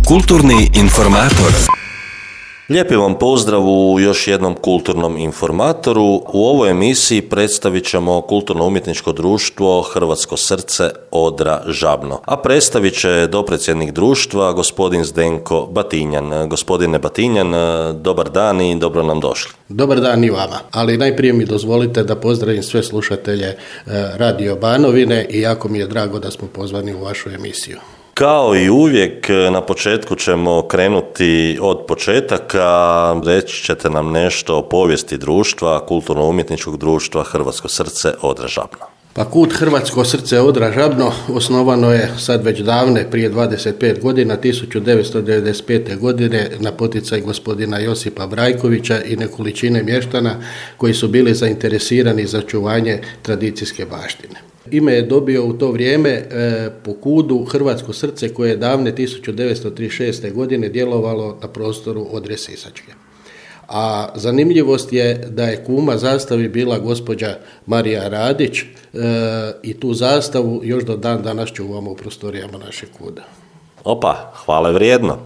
Kulturni informator. Lijepi vam pozdrav u još jednom kulturnom informatoru. U ovoj emisiji predstavit ćemo kulturno-umjetničko društvo Hrvatsko srce Odra Žabno. A predstavit će dopredsjednik društva, gospodin Zdenko Batinjan. Gospodine Batinjan, dobar dan i dobro nam došli. Dobar dan i vama, ali najprije mi dozvolite da pozdravim sve slušatelje Radio Banovine i jako mi je drago da smo pozvani u vašu emisiju. Kao i uvijek, na početku ćemo krenuti od početaka. Reći ćete nam nešto o povijesti društva, kulturno-umjetničkog društva Hrvatsko srce Odra Žabno. Pa KUD Hrvatsko srce Odra Žabno osnovano je sad već davne, prije 25 godina, 1995. godine na poticaj gospodina Josipa Brajkovića i nekolicine mještana koji su bili zainteresirani za čuvanje tradicijske baštine. Ime je dobio u to vrijeme po KUD-u Hrvatsko srce koje je davne 1936. godine djelovalo na prostoru Odre Sisačke. A zanimljivost je da je kuma zastavi bila gospođa Marija Radić i tu zastavu još do dan danas čuvamo u prostorijama našeg KUD-a. Opa, hvale vrijedno.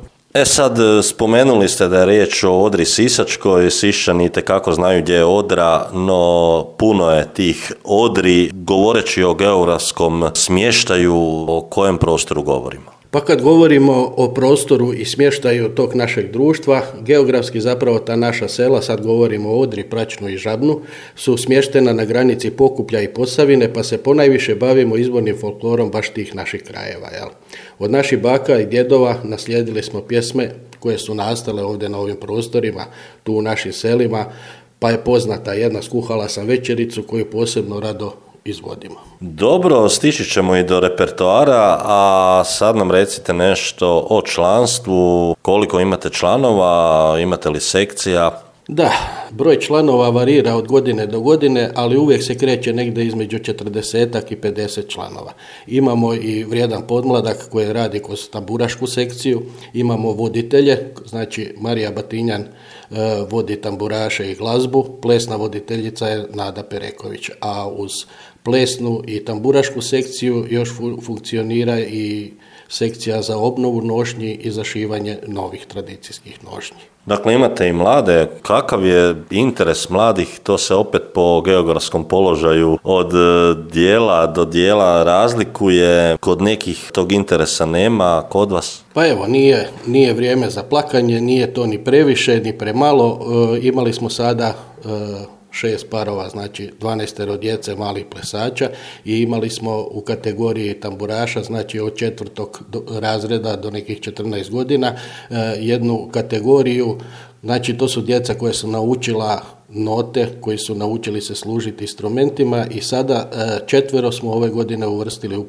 Sad, spomenuli ste da je riječ o Odri Sisačkoj, Siščani itekako znaju gdje je Odra, no puno je tih Odri. Govoreći o geografskom smještaju, o kojem prostoru govorimo? Pa kad govorimo o prostoru i smještaju tog našeg društva, geografski zapravo ta naša sela, sad govorimo o Odri, Pračnu i Žabnu, su smještena na granici Pokuplja i Posavine, pa se ponajviše bavimo izvornim folklorom baš tih naših krajeva. Jel? Od naših baka i djedova naslijedili smo pjesme koje su nastale ovdje na ovim prostorima, tu u našim selima, pa je poznata jedna Skuhala sam večericu koju posebno rado izvodimo. Dobro, stići ćemo i do repertoara, a sad nam recite nešto o članstvu, koliko imate članova, imate li sekcija? Da, broj članova varira od godine do godine, ali uvijek se kreće negdje između 40 i 50 članova. Imamo i vrijedan podmladak koji radi kroz tamburašku sekciju, imamo voditelje, znači Marija Batinjan vodi tamburaše i glazbu, plesna voditeljica je Nada Pereković, a uz plesnu i tamburašku sekciju još funkcionira i sekcija za obnovu nošnji i zašivanje novih tradicijskih nošnji. Dakle, imate i mlade. Kakav je interes mladih? To se opet po geografskom položaju od dijela do dijela razlikuje. Kod nekih tog interesa nema, kod vas? Pa evo, nije vrijeme za plakanje, nije to ni previše, ni premalo. Imali smo sada 6 parova, znači 12 djece malih plesača i imali smo u kategoriji tamburaša, znači od 4. razreda do nekih 14 godina, jednu kategoriju, znači to su djeca koja su naučila note, koji su naučili se služiti instrumentima i sada 4 smo ove godine uvrstili u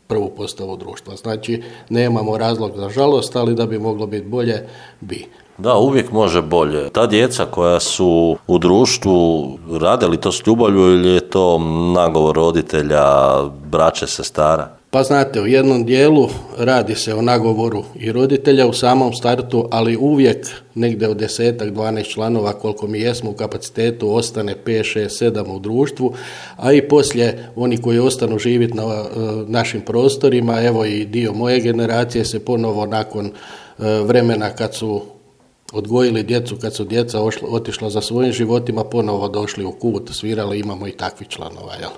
prvu postavu društva. Znači nemamo razlog za žalost, ali da bi moglo biti bolje, bi. Da, uvijek može bolje. Ta djeca koja su u društvu, rade li to s ljubavlju ili je to nagovor roditelja, braće, sestara? Pa znate, u jednom dijelu radi se o nagovoru i roditelja u samom startu, ali uvijek negdje od 10-12 članova koliko mi jesmo u kapacitetu ostane 5, 6, 7 u društvu, a i poslije oni koji ostanu živjeti na našim prostorima, evo i dio moje generacije se ponovo nakon vremena kad su odgojili djecu, kad su djeca otišla za svojim životima, ponovo došli u KUD, svirali, imamo i takvih članova. Jel?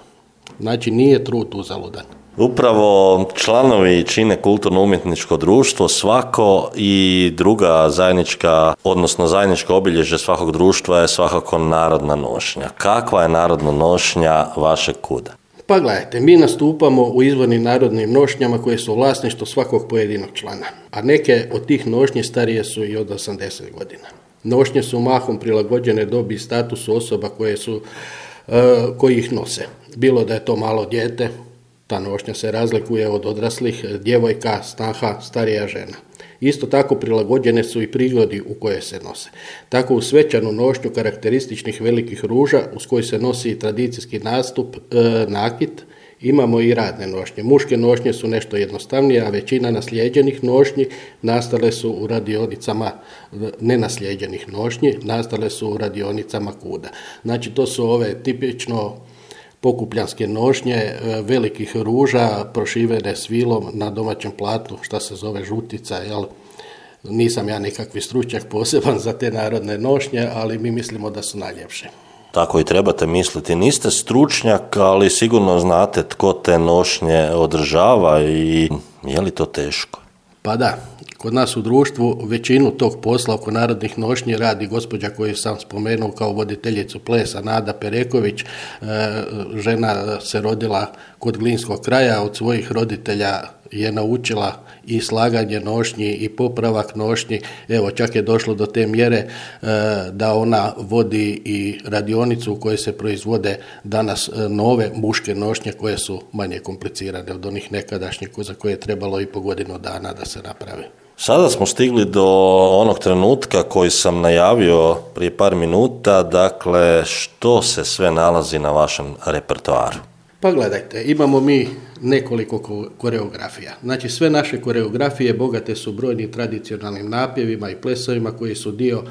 Znači nije trud uzaludan. Upravo članovi čine kulturno-umjetničko društvo, svako i druga zajednička, odnosno zajedničko obilježje svakog društva je svakako narodna nošnja. Kakva je narodna nošnja vašeg KUD-a? Pa gledajte, mi nastupamo u izvornim narodnim nošnjama koje su vlasništvo svakog pojedinog člana, a neke od tih nošnji starije su i od 80 godina. Nošnje su mahom prilagođene dobi i statusu osoba koji ih nose. Bilo da je to malo dijete, ta nošnja se razlikuje od odraslih, djevojka, snaha, starija žena. Isto tako prilagođene su i prigodi u koje se nose. Tako u svečanu nošnju karakterističnih velikih ruža uz koji se nosi tradicijski nastup, nakit, imamo i radne nošnje. Muške nošnje su nešto jednostavnije, a većina naslijeđenih nošnji nastale su u radionicama nenaslijeđenih nošnji, nastale su u radionicama KUD-a. Znači to su ove tipično pokupljanske nošnje, velikih ruža prošivene svilom na domaćem platnu, šta se zove žutica, jel? Nisam ja nekakvi stručnjak poseban za te narodne nošnje, ali mi mislimo da su najljepše. Tako i trebate misliti. Niste stručnjak, ali sigurno znate tko te nošnje održava i je li to teško? Pa da, kod nas u društvu većinu tog posla oko narodnih nošnji radi gospođa koju sam spomenuo kao voditeljicu plesa, Nada Pereković. Žena se rodila kod Glinskog kraja, od svojih roditelja je naučila i slaganje nošnji i popravak nošnji. Evo, čak je došlo do te mjere da ona vodi i radionicu u kojoj se proizvode danas nove muške nošnje koje su manje komplicirane od onih nekadašnjih za koje je trebalo i po godinu dana da se naprave. Sada smo stigli do onog trenutka koji sam najavio prije par minuta, dakle što se sve nalazi na vašem repertoaru? Pa gledajte, imamo mi nekoliko koreografija. Znači sve naše koreografije bogate su brojnim tradicionalnim napjevima i plesovima koji su dio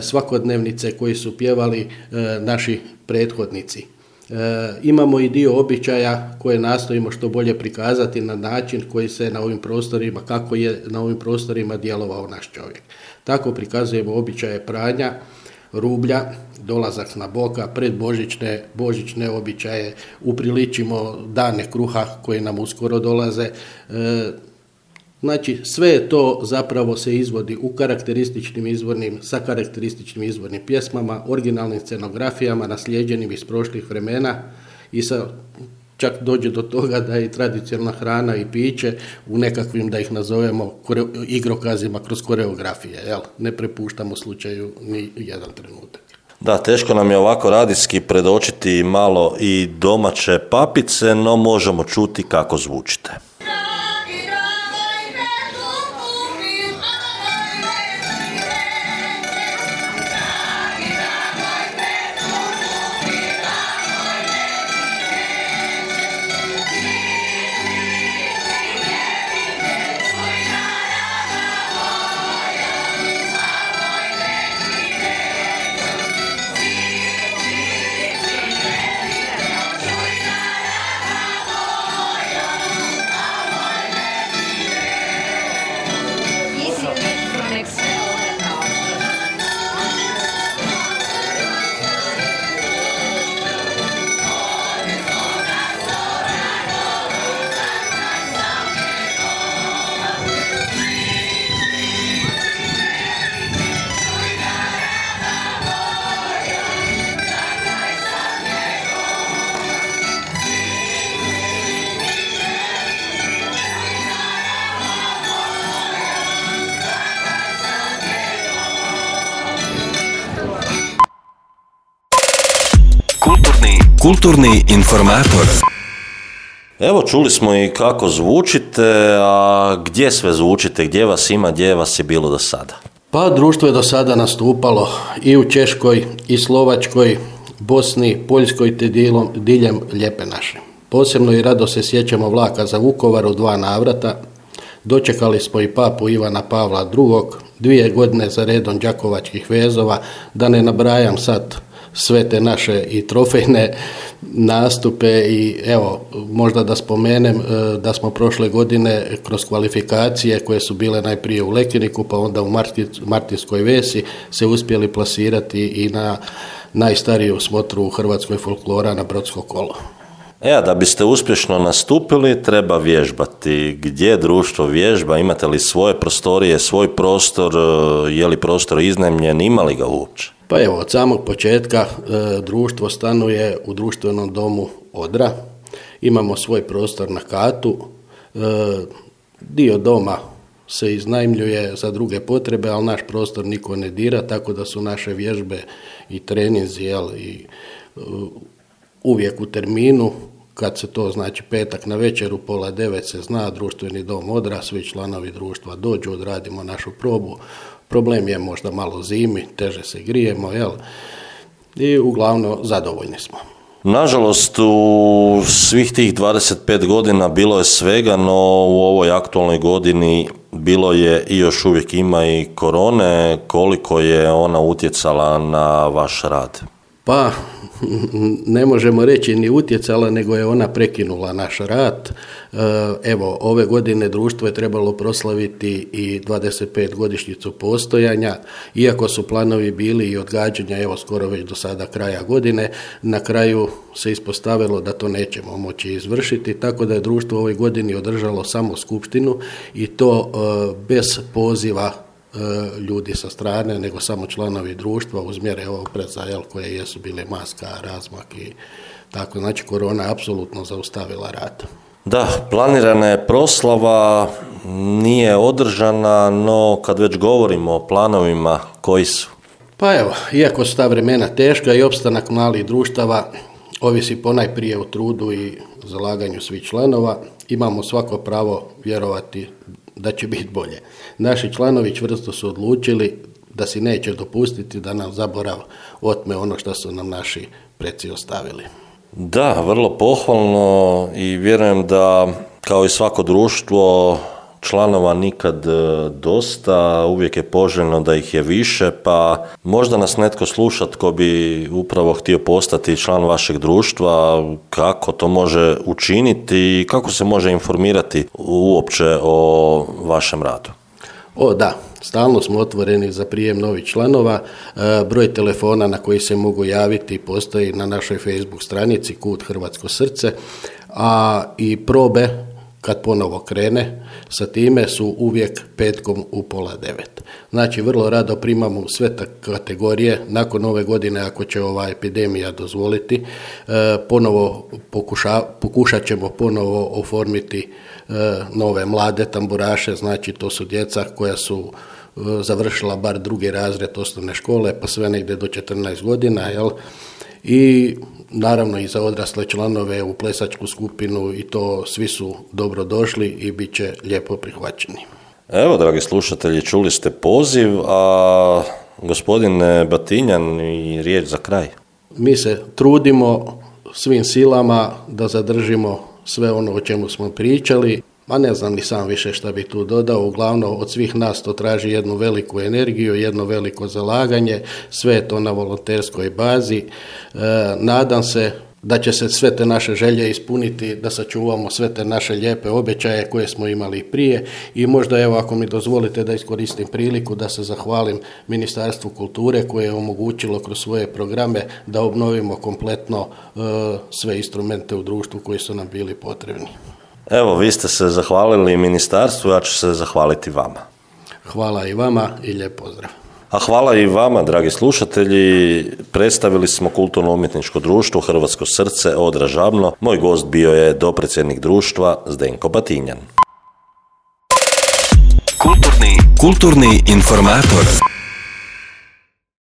svakodnevnice koji su pjevali naši prethodnici. Imamo i dio običaja koje nastojimo što bolje prikazati na način koji se na ovim prostorima, kako je na ovim prostorima djelovao naš čovjek. Tako prikazujemo običaje pranja, rublja, dolazak na boka, božićne običaje, upriličimo dane kruha koji nam uskoro dolaze. Znači, sve to zapravo se izvodi u sa karakterističnim izvornim pjesmama, originalnim scenografijama, naslijeđenim iz prošlih vremena i čak dođe do toga da je i tradicionalna hrana i piće u nekakvim, da ih nazovemo, igrokazima kroz koreografije. Jel? Ne prepuštamo slučaju ni jedan trenutak. Da, teško nam je ovako radijski predočiti malo i domaće papice, no možemo čuti kako zvučite. Kulturni informator. Evo, čuli smo i kako zvučite, a gdje sve zvučite, gdje vas ima, gdje vas je bilo do sada? Pa društvo je do sada nastupalo i u Češkoj, i Slovačkoj, Bosni, Poljskoj te diljem Lijepe naše. Posebno i rado se sjećamo vlaka za Vukovar u 2 navrata. Dočekali smo i papu Ivana Pavla II, 2 godine za redom đakovačkih vezova, da ne nabrajam sad sve te naše i trofejne nastupe i evo, možda da spomenem da smo prošle godine kroz kvalifikacije koje su bile najprije u Lekiniku pa onda u Martinskoj Vesi se uspjeli plasirati i na najstariju smotru u Hrvatskoj folklora na Brodsko kolo. Da biste uspješno nastupili treba vježbati. Gdje društvo vježba? Imate li svoje prostorije, svoj prostor? Je li prostor iznajmljen? Ima li ga uopće? Pa evo, od samog početka društvo stanuje u društvenom domu Odra. Imamo svoj prostor na katu. Dio doma se iznajmljuje za druge potrebe, ali naš prostor niko ne dira, tako da su naše vježbe i treninzi i uvijek u terminu. Kad se to znači petak na večer u 8:30 se zna, društveni dom Odra, svi članovi društva dođu, odradimo našu probu. Problem je možda malo zimi, teže se grijemo, i uglavnom zadovoljni smo. Nažalost, u svih tih 25 godina bilo je svega, no u ovoj aktualnoj godini bilo je i još uvijek ima i korone. Koliko je ona utjecala na vaš rad? Pa, ne možemo reći ni utjecala, nego je ona prekinula naš rad. Evo, ove godine društvo je trebalo proslaviti i 25 godišnjicu postojanja, iako su planovi bili i odgađanja, evo skoro već do sada kraja godine, na kraju se ispostavilo da to nećemo moći izvršiti, tako da je društvo u ovoj godini održalo samo skupštinu i to bez poziva ljudi sa strane, nego samo članovi društva uz mjere ovog opreza koje jesu bile maska, razmak i tako. Znači, korona je apsolutno zaustavila rad. Da, planirana je proslava, nije održana, no kad već govorimo o planovima, koji su? Pa evo, iako su ta vremena teška i opstanak malih društava ovisi ponajprije o trudu i zalaganju svih članova, imamo svako pravo vjerovati da će biti bolje. Naši članovi čvrsto su odlučili da si neće dopustiti da nam zaborav otme ono što su nam naši preci ostavili. Da, vrlo pohvalno i vjerujem da kao i svako društvo članova nikad dosta, uvijek je poželjno da ih je više, pa možda nas netko sluša tko bi upravo htio postati član vašeg društva, kako to može učiniti i kako se može informirati uopće o vašem radu. Da, stalno smo otvoreni za prijem novih članova. Broj telefona na koji se mogu javiti postoji na našoj Facebook stranici Kut Hrvatsko srce, a i probe kad ponovo krene sa time su uvijek petkom u 8:30. Znači, vrlo rado primamo sve kategorije. Nakon ove godine, ako će ova epidemija dozvoliti, pokušat ćemo ponovo oformiti nove mlade tamburaše. Znači, to su djeca koja su završila bar 2. razred osnovne škole, pa sve negdje do 14 godina, i naravno i za odrasle članove u plesačku skupinu, i to svi su dobro došli i bit će lijepo prihvaćeni. Evo, dragi slušatelji, čuli ste poziv, a gospodine Batinjan, i riječ za kraj. Mi se trudimo svim silama da zadržimo sve ono o čemu smo pričali, a ne znam ni sam više šta bi tu dodao. Uglavnom, od svih nas to traži jednu veliku energiju, jedno veliko zalaganje, sve je to na volonterskoj bazi. Nadam se da će se sve te naše želje ispuniti, da sačuvamo sve te naše lijepe obećaje koje smo imali prije, i možda, evo, ako mi dozvolite da iskoristim priliku da se zahvalim Ministarstvu kulture koje je omogućilo kroz svoje programe da obnovimo kompletno sve instrumente u društvu koji su nam bili potrebni. Evo, vi ste se zahvalili ministarstvu, ja ću se zahvaliti vama. Hvala i vama i lijep pozdrav. A hvala i vama, dragi slušatelji. Predstavili smo Kulturno-umjetničko društvo Hrvatsko srce Odra Žabno. Moj gost bio je dopredsjednik društva Zdenko Batinjan. Kulturni informator.